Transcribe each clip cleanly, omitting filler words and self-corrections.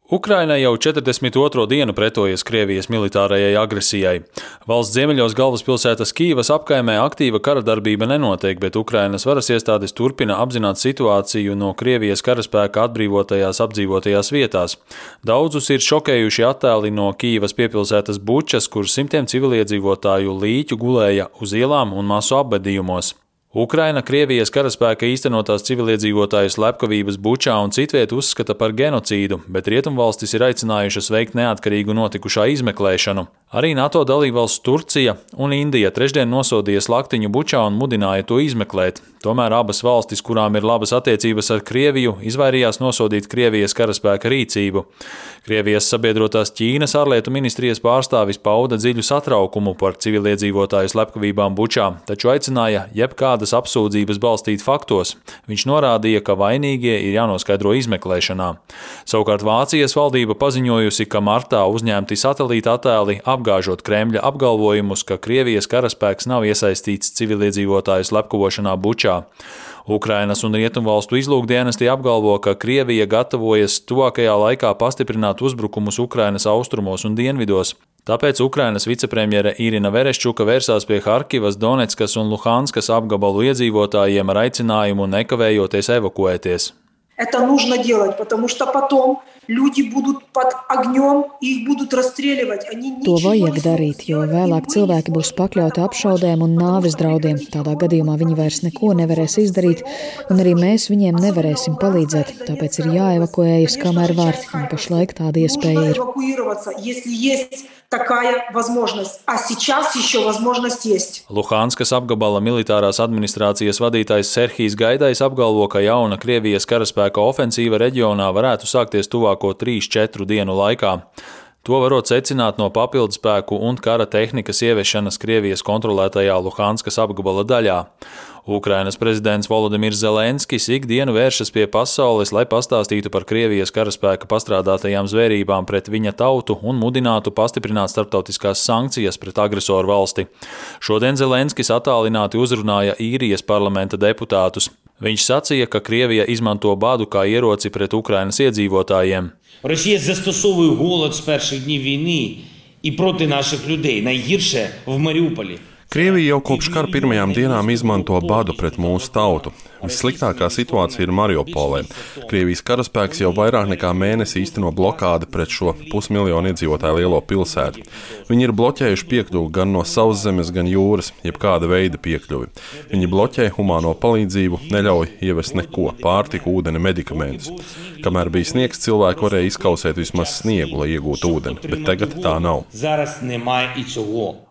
Ukraina jau 42. dienu pretojas Krievijas militārajai agresijai. Valsts ziemeļos galvaspilsētas Kīivas apkaimē aktīva kara darbība nenotiek, bet Ukrainas varas iestādes turpina apzināt situāciju no Krievijas karaspēka atbrīvotajās apdzīvotajās vietās. Daudzus ir šokējuši attēli no Kīivas piepilsētas Bučas, kur simtiem civiliedzīvotāju līķu gulēja uz ielām un masu apbedījumos. Ukraina Krievijas karaspēka īstenotās civiliedzīvotāju slepkavības Bučā un citviet uzskata par genocīdu, bet rietumvalstis ir aicinājušas veikt neatkarīgu notikušā izmeklēšanu. Arī NATO dalībvalsts Turcija un Indija trešdien nosodīja slaktiņu Bučā un mudināja to izmeklēt. Tomēr abas valstis, kurām ir labas attiecības ar Krieviju, izvairījās nosodīt Krievijas karaspēka rīcību. Krievijas sabiedrotās Ķīnas ārlietu ministrijas pārstāvis pauda dziļu satraukumu par civiliedzīvotāju slepkavībām Bučā, taču aicināja jebkādas apsūdzības balstīt faktos. Viņš norādīja, ka vainīgie ir jānoskaidro izmeklēšanā. Savukārt Vācijas valdība paziņojusi, ka martā uzņemti satelīta attēli apgāžot Kremļa apgalvojumus, ka Krievijas karaspēks nav iesaistīts civiliedzīvotāju slepkavošanā Bučā. Ukrainas un rietumvalstu izlūkdienesti apgalvo, ka Krievija gatavojas tuvākajā laikā pastiprināt uzbrukumus Ukrainas austrumos un dienvidos. Tāpēc Ukrainas vicepremjere Irina Vereščuka vērsās pie Harkivas, Donetskas un Luhanskas apgabalu iedzīvotājiem ar aicinājumu nekavējoties evakuēties. Это нужно делать, потому что потом люди будут под огнем, их будут расстреливать. To vajag darīt, jo vēlāk cilvēki būs pakļauti apšaudēm un nāves draudiem. Tādā gadījumā viņi vairs neko nevarēs izdarīt, un arī mēs viņiem nevarēsim palīdzēt. Tāpēc ir jāevakuējas, kamēr var, un pašlaik tāda iespēja ir. Luhanskas apgabala militārās administrācijas vadītājs Serhijs Gaidais apgalvo, ka jauna Krievijas karaspēka ofensīva reģionā varētu sākties tuvāko 3-4 dienu laikā. To varot secināt no papildspēku un kara tehnikas ieviešanas Krievijas kontrolētajā Luhanskas apgabala daļā. Ukrainas prezidents Volodimirs Zelenskis ikdienu vēršas pie pasaules, lai pastāstītu par Krievijas karaspēka pastrādātajām zvērībām pret viņa tautu un mudinātu pastiprināt starptautiskās sankcijas pret agresoru valsti. Šodien Zelenskis attālināti uzrunāja Īrijas parlamenta deputātus. Viņš sacīja, ka Krievija izmanto badu kā ieroci pret Ukrainas iedzīvotājiem. Росія застосовує голод з перших днів війни і проти наших людей. Найгірше в Маріуполі. Krievija jau kopš kara pirmajām dienām izmanto badu pret mūsu tautu. Vissliktākā situācija ir Mariupolē. Krievijas karaspēks jau vairāk nekā mēnesi īsteno blokādi pret šo 500 000 iedzīvotāju lielo pilsētu. Viņi ir bloķējuši piekļuvi gan no sauszemes, gan jūras, jebkāda veida piekļuvi. Viņi bloķē humāno palīdzību, neļauj ievest neko, pārtiku, ūdeni, medikamentus. Kamēr bija sniegs, cilvēki varēja izkausēt vismaz sniegu, lai iegūtu ūdeni, bet tagad tā nav.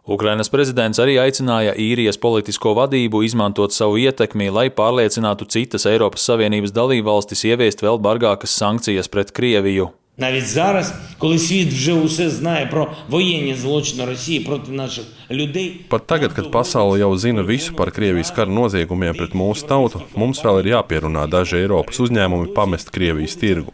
Ukrainas prezidents arī aicināja Īrijas politisko vadību izmantot savu ietekmi, lai pārliecinātu citas Eiropas Savienības dalībvalstis ieviest vēl bargākas sankcijas pret Krieviju. Навіть зараз, коли світ вже усе знає про воєнні злочини Росії проти наших людей. Pat tagad, kad pasaule jau zina visu par Krievijas kara noziegumiem pret mūsu tautu, mums vēl ir jāpierunā daži Eiropas uzņēmumi pamest Krievijas tirgu.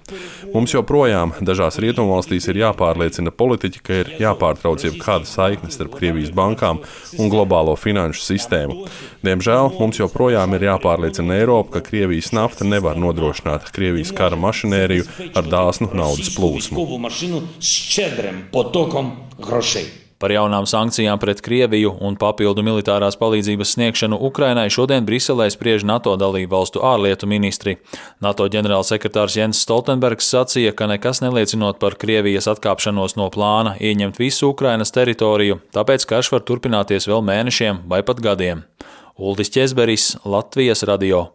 Mums joprojām dažās rietumvalstīs ir jāpārliecina politiķi, ka ir jāpārtrauc jebkāda saikne starp Krievijas bankām un globālo finanšu sistēmu. Diemžēl mums joprojām ir jāpārliecina Eiropa, ka Krievijas nafta nevar nodrošināt Krievijas kara mašinēriju ar dāsnu naudas plūsmu. Par jaunām sankcijām pret Krieviju un papildu militārās palīdzības sniegšanu Ukrainai šodien Briselē spriež NATO dalībvalstu ārlietu ministri. NATO ģenerālsekretārs Jens Stoltenbergs sacīja, ka nekas neliecinot par Krievijas atkāpšanos no plāna ieņemt visu Ukrainas teritoriju, tāpēc karš var turpināties vēl mēnešiem vai pat gadiem. Uldis Ķezberis, Latvijas radio.